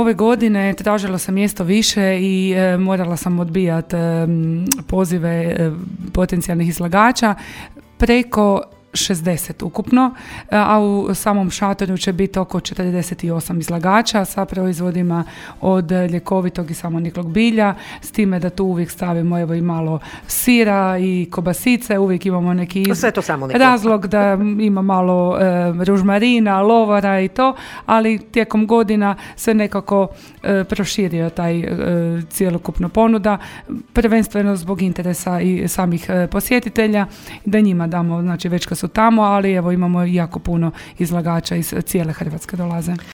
ove godine tražila sam mjesto više i morala sam odbijati pozive potencijalnih izlagača, preko 60 ukupno, a u samom šatoru će biti oko 48 izlagača sa proizvodima od ljekovitog i samoniklog bilja, s time da tu uvijek stavimo evo i malo sira i kobasice, uvijek imamo neki razlog da ima malo ružmarina, lovara i to, ali tijekom godina se nekako proširio taj cjelokupno ponuda, prvenstveno zbog interesa i samih posjetitelja, da njima damo, znači već kad su tamo, ali evo imamo jako puno izlagača iz cijele Hrvatske dolaze.